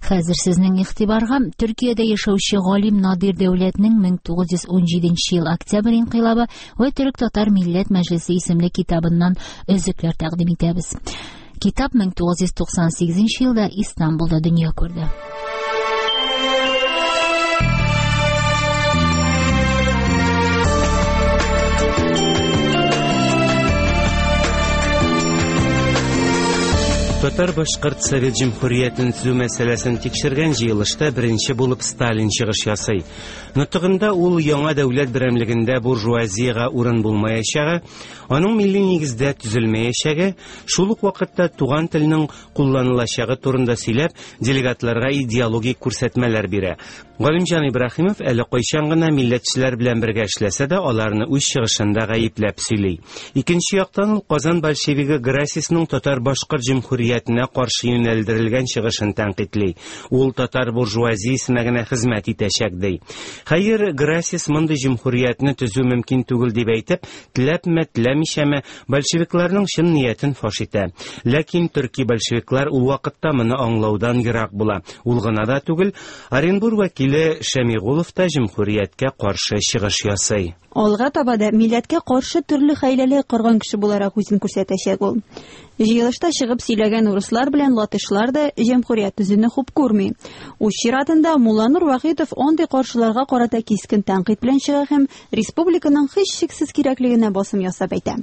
Хәзер сезнең игътибарга Төркиядә яшәүче галим Надир Дәүләтнең 1917 ел октябрь инкыйлабы вә Төрек-татар милләт мәҗлесе исемле китабыннан өзекләр тәкъдим итәбез. Китап 1998 елда Истанбулда дөнья күрде. Татар-башкорт Совет Җөмһүриятен төзү мәсьәләсен тикшергән җыелышта беренче булып Сталин чыгыш ясый. Нотыгында ул яңа дәүләт берәмлегендә буржуазиягә урын булмаячагы, аның милли нигездә төзелмәячәге, шул ук вакытта туган телнең кулланылачагы турында сөйләп, делегатларга идеологик күрсәтмәләр бирә. Галимҗан Ибраһимов әле кайчан гына милләтчеләр белән бергә эшләсә дә, аларны үз чыгышында гаепләп сөйли. Икенче яктан ул Казан большевигы Грасисның татар-башкорт җөмһүриятенә каршы юнәлдерелгән чыгышын тәнкыйтьли. Ул татар буржуазиясенә генә хезмәт итәчәк, ди. Хәер, Грасис мондый җөмһүриятне төзү мөмкин түгел дип әйтеп, теләпме, теләмичәме, большевикларның чын ниятен фаш итә. Ләкин төрки большевиклар ул вакытта моны аңлаудан ерак була. Ул гына да түгел, Оренбур вәкиле Шәмигулов та җөмһүрияткә каршы чыгыш ясый. Алга таба да милләткә каршы төрле хәйләләр корган кеше буларак үзен күрсәтәчәк ул. Җыелышта чыгып сөйләгән урыслар белән латышлар да җәмһүрият төзүне хуп күрми. Үз чиратында Мулланур Вахитов андый каршыларга карата кискен тәнкыйть белән чыга һәм республиканың һичшиксез кирәклегенә басым ясап әйтә.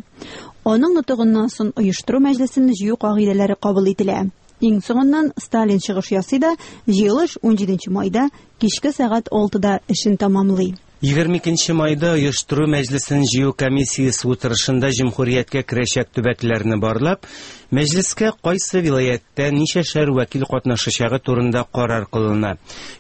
Аның нотыгыннан соң оештыру мәҗлесен җыю кагыйдәләре кабул ителә. Иң соңыннан Сталин чыгыш ясый да, җыелыш 17 майда кичке сәгать 6да эшен тәмамлый. 22 майда оештыру мәҗлесен җыю комиссиясе утырышында җөмһүрияткә керәчәк төбәкләрне барлап, мәҗлескә кайсы вилаяттә ничәшәр вәкил катнашачагы турында карар кылына.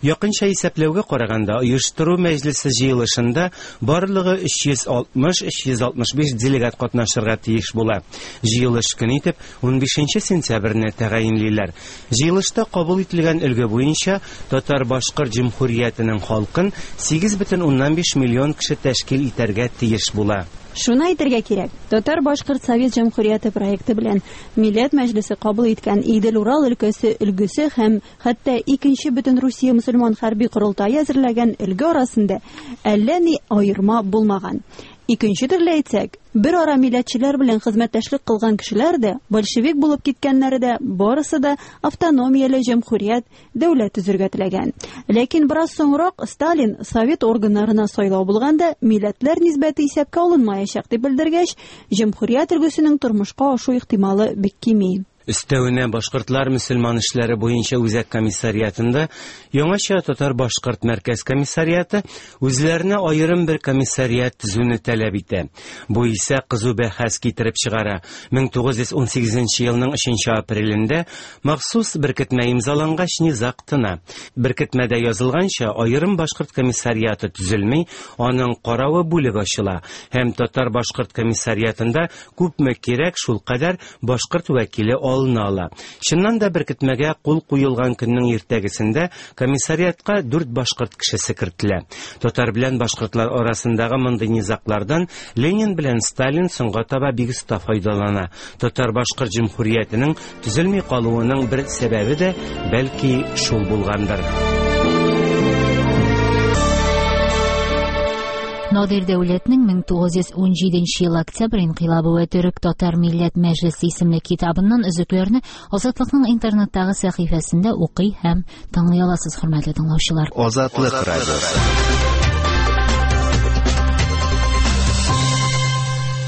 Якынча исәпләүгә караганда, оештыру мәҗлесе җыелышында барлыгы 360-365 делегат катнашырга тиеш була. Җыелыш көн итеп 15 сентябрьне тәгаенлиләр. Җыелышта кабул ителгән өлге буенча Татар-Башкорт җөмһүриятенең халкын 8,5 миллион кеше тәшкил итәргә тиеш була. Шуны әйтергә кирәк, Татар-Башкорт Совет Җәмһүрияте проекты белән Милләт Мәҗлесе кабул иткән Идел-Урал өлкәсе өлгесе һәм хәтта икенче Бөтенрусия мөселман хәрби корылтае әзерләгән өлге арасында әллә ни аерма булмаган. Икенче төрле әйтсәк, бер ара милләтчеләр белән хезмәттәшлек кылган кешеләр дә, большевик булып киткәннәре дә, барысы да автономияле җәмһүрият, дәүләт төзергә теләгән. Ләкин бераз соңрак Сталин совет органнарына сайлау булганда милләтләр нисбәте исәпкә алынмаячак дип белдергәч, җәмһүрият өлгесенең тормышка ашу ихтималы бик кими. Өстәвенә башкортлар мөселман эшләре буенча үзәк комиссариатында яңача татар-башкорт мәркәз комиссариаты үзләренә аерым бер комиссариат төзүне таләп итә. Бу исә кызу бәхәс китереп чыгара. 1918 елның 3 апрелендә махсус беркетмә имзалангач низаг тына. Беркетмәдә язылганча, аерым башкорт комиссариаты төзелми, аның каравы бүлек ачыла һәм татар-башкорт комиссариатында күпме кирәк, шул кадәр башкорт вәкиле алына ала. Чыннан да беркетмәгә кул куелган көннең иртәгесендә комиссариатка 4 башкорт кешесе кертелә. Татар белән башкортлар арасындагы мондый низаглардан Ленин белән Сталин соңга таба бик оста файдалана. Татар-башкорт җөмһүриятенең төзелми калуының бер сәбәбе дә бәлки шул булгандыр. Надир Дәүләтнең 1917 ел октябрь инкыйлабы вә төрек татар милләт мәҗлесе исемле китабыннан өзекләрне Азатлыкның интернеттагы сәхифәсендә укый һәм тыңлый аласыз, хөрмәтле тыңлаучылар. Азатлык радиосы.